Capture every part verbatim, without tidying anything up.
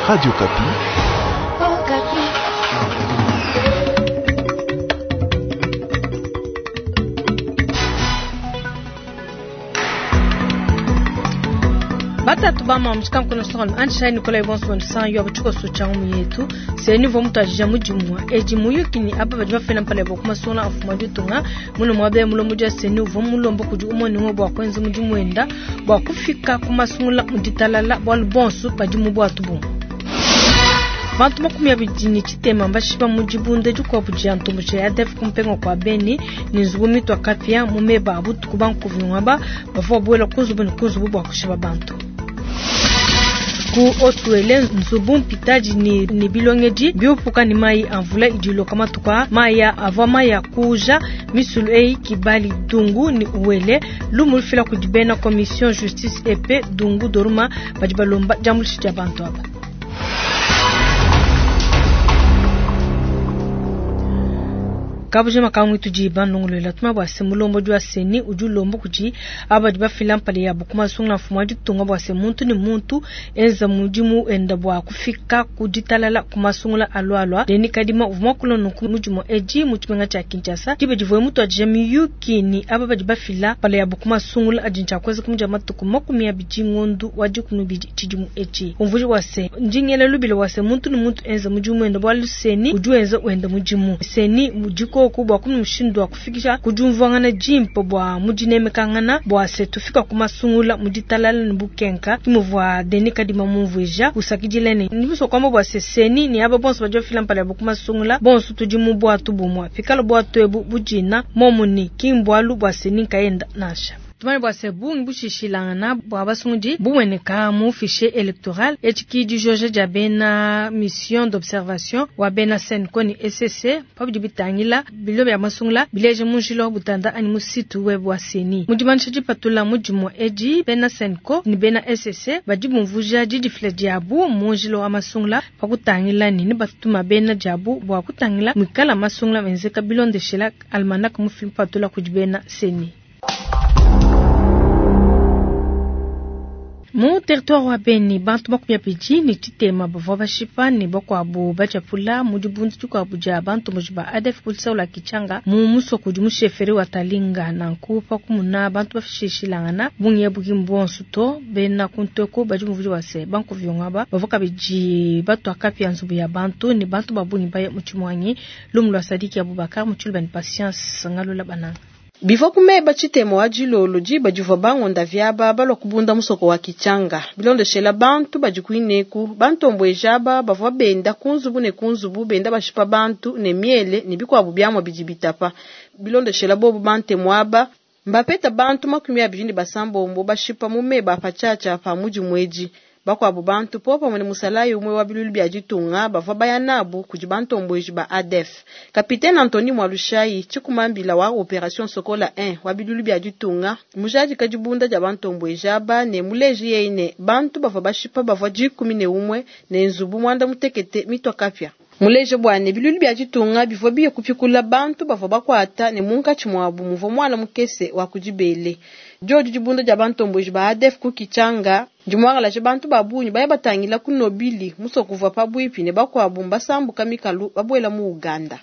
Radio Okapi. Oh, Batatu bama mushikankono songolo anshai Nikolai bonso san yo buchuko socha mu yetu se niveau mutu mudimu eji muyuki ni aba badi bafela mpale bo kuma sona afuma ditunga muno mwabe mulomo dia se niveau mulombo kudi umoni ngo bwa kwenza mudimu wenda bwa kufika kumasungula muditalala bwa bonso badi mu bwatu bu Bantu makumi abidi ni tshitema mbashipa mu dibunda dikuabu dia ntomboji ya A D F kumpenga kwa Beni ni nzubu mitwa kapia mu meba abutuku bankuvi ngwaba bavua buela kuzubu ni kuzubu bua kushipa bantu. Ku Otuele nzubu mpitaji ni, ni bilongeji biopuka ni mai amvula idiloka matuka maya avua maya kuja misulu ei kibali dungu ni uwele lumulufila kudibena commission justice et paix dungu doruma badi balomba diambuluisha dia bantu aba. Kabuje makangu tudi bandongolola tuma bwa se mulombo dwa seni udi lombo kudi abadi bafila mpale ya bukuma sunga mfumo di tunga bwa se muntu ni muntu enza mudimu enda bwa kufika kuditalala kumasungula alwalwa deni kadima uvuma kulo nuku mudimu eji muchimenga cha Kinshasa dibe divoye mutu aje miyuki ni abadi bafila pale ya bukuma sungula ajincha kweza kumja matuku makumi ya bijingondu wadi kunubidi chidimu eji umvuji wa se ndingele lubile wa se muntu ni muntu enza mudimu enda bwa luseni udi enza wenda mudimu seni mudiko kubwa kumi mshindo wa kufikisha kujumvangana jimpo bwa mujinemekangana bwa se tufika kumasungula muditalala nbukenka kimuvwa deni kadima mumvuja usakidilene nibuso kwamba bwa se seni ni aba bonso bajo fila mpale bwa kumasungula bonso tudimu bwa tubumwa fikalo bwa twebu bujina momuni kimbwalu bwa seni kaenda nasha Tumane bwa se bungi bushishilangana bwa basungi bumweneka mu fichier électoral echiki du George Jabena mission d'observation wa bena Senko ni S C pabidi bitangila bilo ya masungula bileje munjilo butanda ani musitu web wa seni mudimanisha dipatula mudimu eji bena Senko ni bena S C badi bumvuja didifile diabu munjilo wa masungula pakutangila ni batuma bena diabu bwa kutangila mwikala masungula menzeka bilondeshela almanak mufilm patula kudibena seni. Mu territoire wa Beni bantu makumi abidi ni tshitema bavua bashipa ni bakuabu bajapula mu dibundu dikuabu dia bantu muji ba A D F kulisaula Kichanga mu musoko di musheferi wa Talinga nanku pakumuna bantu bafishishilangana bungi buki mbonso to bena kunteko badi muvuji wa se banku vyongaba bavua kabidi batu akapi ya nzubu ya bantu ni bantu babungi baye mu tshimwanyi lumu lwa Sadiki Abubakar mu tshilubani Patience ngalula bananga. Bivua kumeba tshitemo wa dilolo diba divua bangonda vyaba balua kubunda musoko wa Kichanga bilondeshela bantu badi kuineku bantombwejaba bavua benda kunzubu ne kunzubu benda bashipa bantu ne miele ne bikuabu biamua bidi bitapa bilondeshela bobu bantemo aba mbapeta bantu makumi abidi ne basambombo bashipa mu meba patshiatshia pa mudi muedi bakuabu bantu po pamue ne musalayi umue wa bilulu bia ditunga bavua baya nabu kudi bantombweji ba A D F. Kapitene Anthony Mwalushayi tshikumambila wa Operation Sokola un wa bilulu bia ditunga mujadika dibunda dia bantombweji aba ne muleji yeye ne bantu bavua bashipa bavua dikumi ne umue ne nzubu muanda mutekete mitwa kapia. Muleje bwane bilulu bia ditunga bivua biye kupikula bantu bavua bakuata ne munkatshi muabu muvua muana mukese wa kudibele. Diodi dibunda dia bantombweji ba A D F ku Kichanga dimwangalaje bantu ba bungi baya batangila ku Nobili musoko uvua pabuipi ne bakuabu mbasambuka mikalu babuela mu Uganda.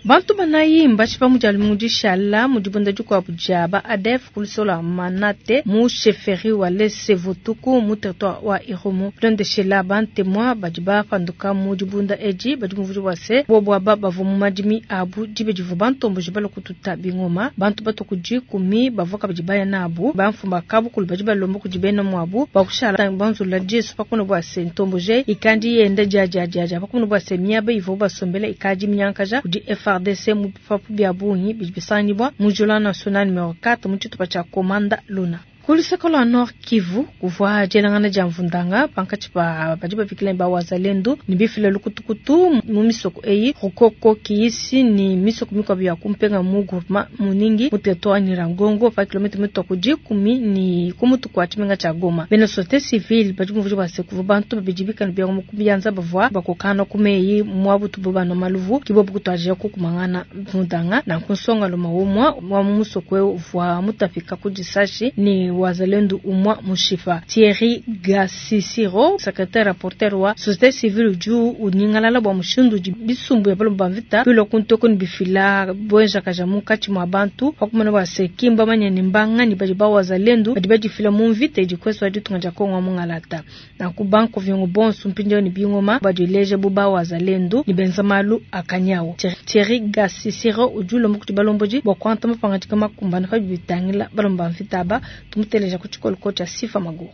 Bantu banayi mbashipa mu dia lumingu dishala mu dibunda dikuabu dia ba A D F kulisola Manate mu chefferie wa Lese Votuku mu territoire wa Irumu. Bilondeshela bantemwa badi bapanduka mu dibunda edi badi muvuji wa se bobo aba bavua mu madimi abu dibe divua bantomboji balua kututa bingoma. Bantu batu ku dikumi bavua kabidi baya nabu bamfumba kabukulu badi balomba kudi bena muabu bakushala banzula Jesu pakuno bua se ntomboje ikandi yenda dia dia dia dia pakuno bua se miaba ivua basombela ikadi minyankaja kudi F R D C mu bipapu bia bungi bidi bisangibwa mu Journal National numero quatre mu tshitupa tshia Komanda Luna. Kuluseka lwa Nord Kivu kuvua dielangana dia mvundanga pankatshi pa badi babikila ba wazalendo ni bifila lukutukutu mu misoko eyi Rukoko Kiisi ni misoko mikuabu ya kumpenga mu groupement muningi mu territoire Nyiragongo pa kilomètre mitatu dikumi ni kumutu kwa tshimenga tshia Goma. Bena société civile badi muvuji bua se kuvua bantu babidi bikala bia mu kubianza bavua bakokana ku meyi mwabutu bo bana maluvu kibobu kutuajia kukumangana mvundanga na kunsonga luma umwa wa mu musoko ewu uvua mutapika ku disashi ni ne wazalendu umua mushipa. Thierry Gasisiro secretaire rapporteur wa société civile udi unyingalala bua mushindu udi bisumbu bia balomba mvita bilua kuntoko ne bifila buenjakaja munkatshi mua bantu pakumona bua se kimba manya ne mbangani badi ba wazalendu badi badifila mu mvita idi kwesu wa ditunga dia Kongo wa mungalata. Nanku banko viongo bonso mpindieu ne bingoma badileje bu ba wazalendu ne benza malu akanyawo. Thierry Gasisiro udi ulomba kuti balombodi bua kuanta mapangadika makumbana pa bitangila balomba mvita aba tumuteleja ku tshikoloko tshia Sifa Maguru.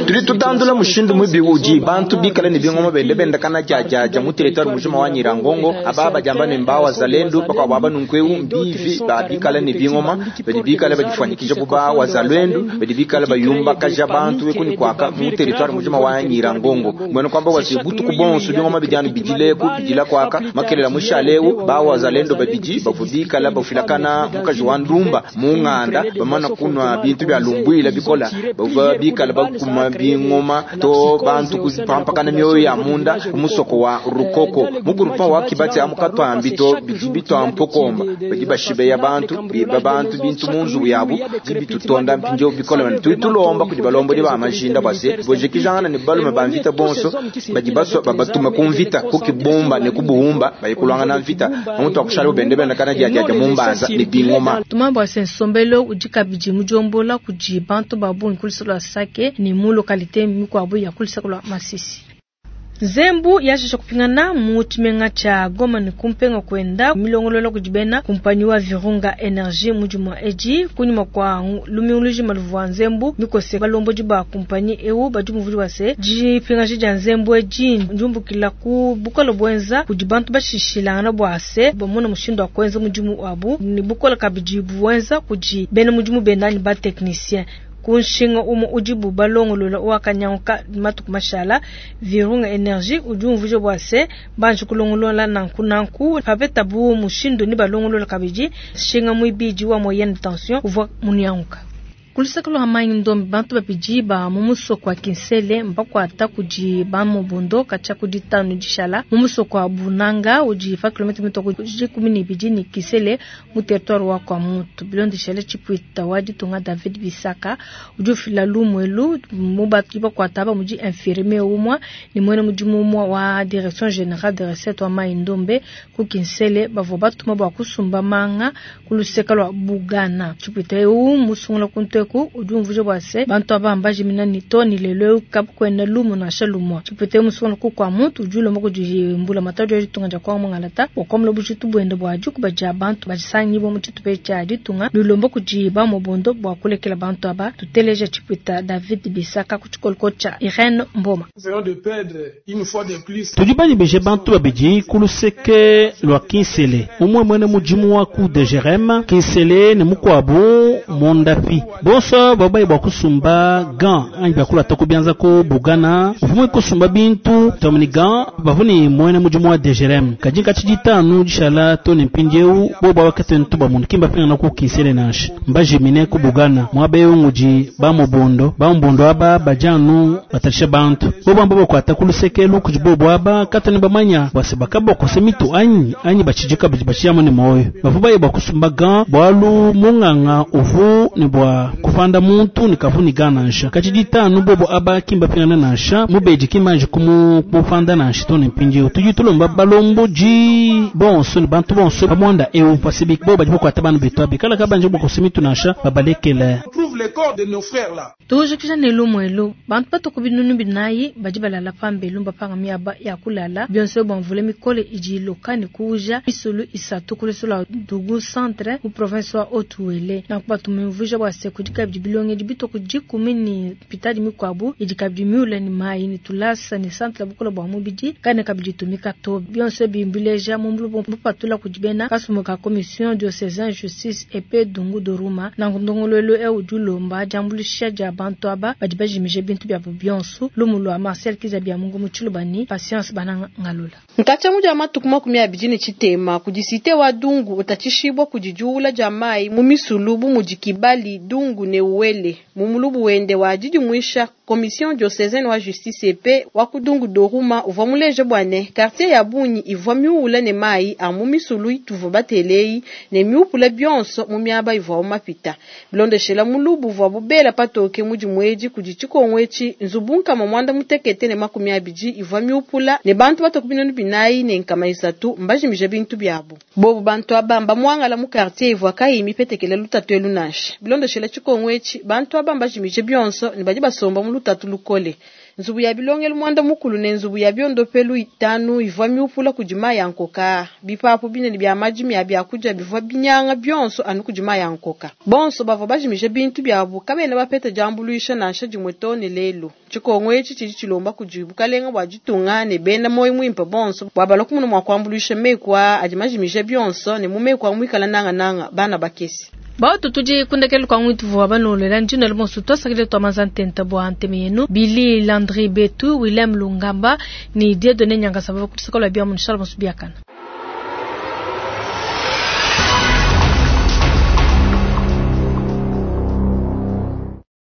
Tudi tutandula mushindu mubi udi bantu bikale ne bingoma bende bendakana jajaja mu territoire mujima wa Nyirangongo aba bajamba ne mbawa zalendu bakwabo aba nunkweu mbivi babikale ne bingoma badi bikale badifanyikija buba wazalwendu badi bikale bayumba kaja bantu wekuni kwaka mu territoire mujima wa Nyirangongo mwene kwamba wasibutu kubonso bingoma bijana bijileku bijila kwaka makelela mushaleu ba wazalendo babiji bavubikala bafilakana mukaji wa ndumba munganda bamana kunwa bintu bya lumbwila bikola bava bikala bakuma bingoma to bantu kuzipampakana mioyo ya munda kumusoko wa rukoko mugurupa wa kibatsi amukatwambi to biji bitwampokomba badi bashibeya bantu biba bantu bintu munzu yabu jibitutonda mpinjo bikola bana tuitulomba kudi balombodi ba majinda base bojekijangana ne balume ba mvita bonso badi baswa babatuma kumvita kukibomba ne kubuhumba bayikulwangana mvita amuntu akushala bende bende kana jajaja mumbanza ne bingoma tumambo ase nsombelo udi kabidi mujombola kudi bantu babungi kulisolo lwa Sake ni mu localité mikuabu ya kulisoko lwa Masisi. Nzembu yashesha kupingana mu tshimenga tsha Goma ne kumpenga kwenda milongolola kudibena kumpanyi wa Virunga Energy mujimwa eji kunyuma kwa lumiuluji maluvwa nzembu mikose balomboji ba kumpanyi ewu badi muvuli wase jipingaji ja nzembu eji njumbukila ku bukola bwenza kudi bantu bashishilangana bwase bamona mushindu wa kwenza mudimu wabu ni bukola kabidi bwenza kudi bena mudimu bendani ba technicien kunshinga umu udibu balongolola wakanyanguka matuku mashala Virunga Energy udi umvuje bwase banji kulongolola nanku nanku papeta bu mushindu ni balongolola kabidi shinga mwibidi wa moyenne tension uvwa munyanguka kulisakalo hamanyi ndombe bantu babidi ba mumusoko wa Kinsele mbakwata kudi ba mubundo kacha kudi tanu dishala mumusoko wa Bunanga udi fa kilometre mitoko kumi ni bidi ni Kisele mu territoire wa kwa mutu bilondeshele chipuita wa ditunga David Bisaka udi ufila lumwelu mu batu bakwata ba mudi infirmier umwa ni mwene mudimu umwa wa direction générale de recette wa mayi ndombe ku Kinsele bavua batuma bwa kusumba manga kuluseka lwa Bugana chipuita eu musungula kunte ku udi umvuje bwase bantu abambaje minani toni lelo kabukwena lumu na shalumwa chipete musungula ku kwa muntu udi ulomba kudimbula matatu ya ditunga dia kwa mungalata wakomla bujitu bwende bwa dikuba dia bantu bajisangi bo mu tshitupe tshia ditunga lulomba kudiba mobondo bwa kulekela bantu aba tuteleja chipita David Bisaka ku tshikoloko tshia Irene Mboma. Tudi banyibeje bantu babidi kuluseke lwa Kinsele umwe mwene mudimu wa ku D G R M Kinsele ne mukwabu mondapi bonso babayi bwa kusumba gan anyi bakula toko bianza ko bugana uvumwe kusumba bintu tomni gan bavuni mwene mudimu wa D G R M kajinka tshiditanu dishala to ne mpindieu bo bawakete ntuba mundu kimba pinga na ku Kinsele nansha mbajimine ku bugana mwabeyo ngudi bamubondo bamubondo aba bajanu batalisha bantu bo bamba bakwata kulusekelu kudi bobo aba katani bamanya bwase bakabokose mitu anyi anyi bachijika badi bachiyamo ne moyo bavu baye bwa kusumba gan bwalu munganga uvu ne bwa kufanda muntu nikavu ni gana nansha kachiditanu bobo aba kimba pingana nansha mubeji kimanje kumu kumufanda nansha to ne mpindieu tudi tulomba balomboji bonso ne bantu bonso bamwanda eu pasibi bo badi bakwata bana betu abi kala kabanje bokose mitu nansha babalekele. Tujikija ne lumwelu bantu batuku binunu binayi badi balala pambelu mbapanga miaba ya kulala bionso bamvule mikole idi iloka ne kuuja misulu isatu kulusula Dugu centre mu province wa Haut-Uele nanku batumumvuija bua se kudi kabidi bilongedi bituku dikumi ni pitadi mikuabu idi kabidi miule ni mayi ni tulasa ni centre bukola bua mubidi kane kabidi tumika to bionso bimbileja mu mbulu bupatula kudi bena kasumu ka commission diocésaine justice et Dungu Doruma nanku ndongoluelu eu dilomba diambulisha dia bantu aba badi bajimije bintu byabo bionso lumu lwa Marcel Kizabia Mungu mu Tshilubani Patience Bananga Ngalula. Nkacha muja matuku makumi abidi ne tshitema kudi site wa Dungu utatshishibwa kudi diula dia mayi mu misulu bu mudi Kibali Dungu ne Uwele mu mulubu wende wa didimwisha Commission diocesaine wa justice et paix wa ku Dungu Doruma uvua muleja bua ne quartier ya bungi ivua miuwula ne mayi a mu misulu ituvua batele eyi ne miupula bionso mu miaba ivuawu mapita. Bilondeshela mulubu uvuabu bela patoke mu dimue edi kudi tshikongu etshi, nzubu nkama muanda mutekete ne makumi abidi ivua miupula ne bantu batue ku binunu binayi ne nkama isatu mbajimije bintu biabu. Bobu bantu aba mbamuangala mu quartier ivua kayiyi mipetekele lutatu elu nansha. Bilondeshela tshikongu etshi, bantu aba mbajimije bionso ne badi basomba mu lutatu lukole. Nzubu ya bilongelu muanda mukulu ne nzubu ya biondopelu itanu ivua miupula kudi mayi a nkoka. Bipapu binene bia madimi a biakudia bivua binyanga bionso anu kudi mayi a nkoka. Bonso bavua bajimije bintu biabu kabena bapeta diambuluisha nansha dimue too ne lelu. Tshikongu etshi tshidi tshilomba kudi bukalenga bua ditunga ne bena muoyo muimpe bonso bua balue kumona mua kuambuluisha meku aa adi majimije bionso ne mu meku amu muikale nangananga bana bakese. Bautu tudi kundekelu kwa ngwitu vwa banolela njina lumonso twasakile twa manza ntenta bua nteme yenu Billy Landry Betu William Lungamba ni Dieudonné Nyangasa bava kutusaka lwa bia mu nshala bonso biakana.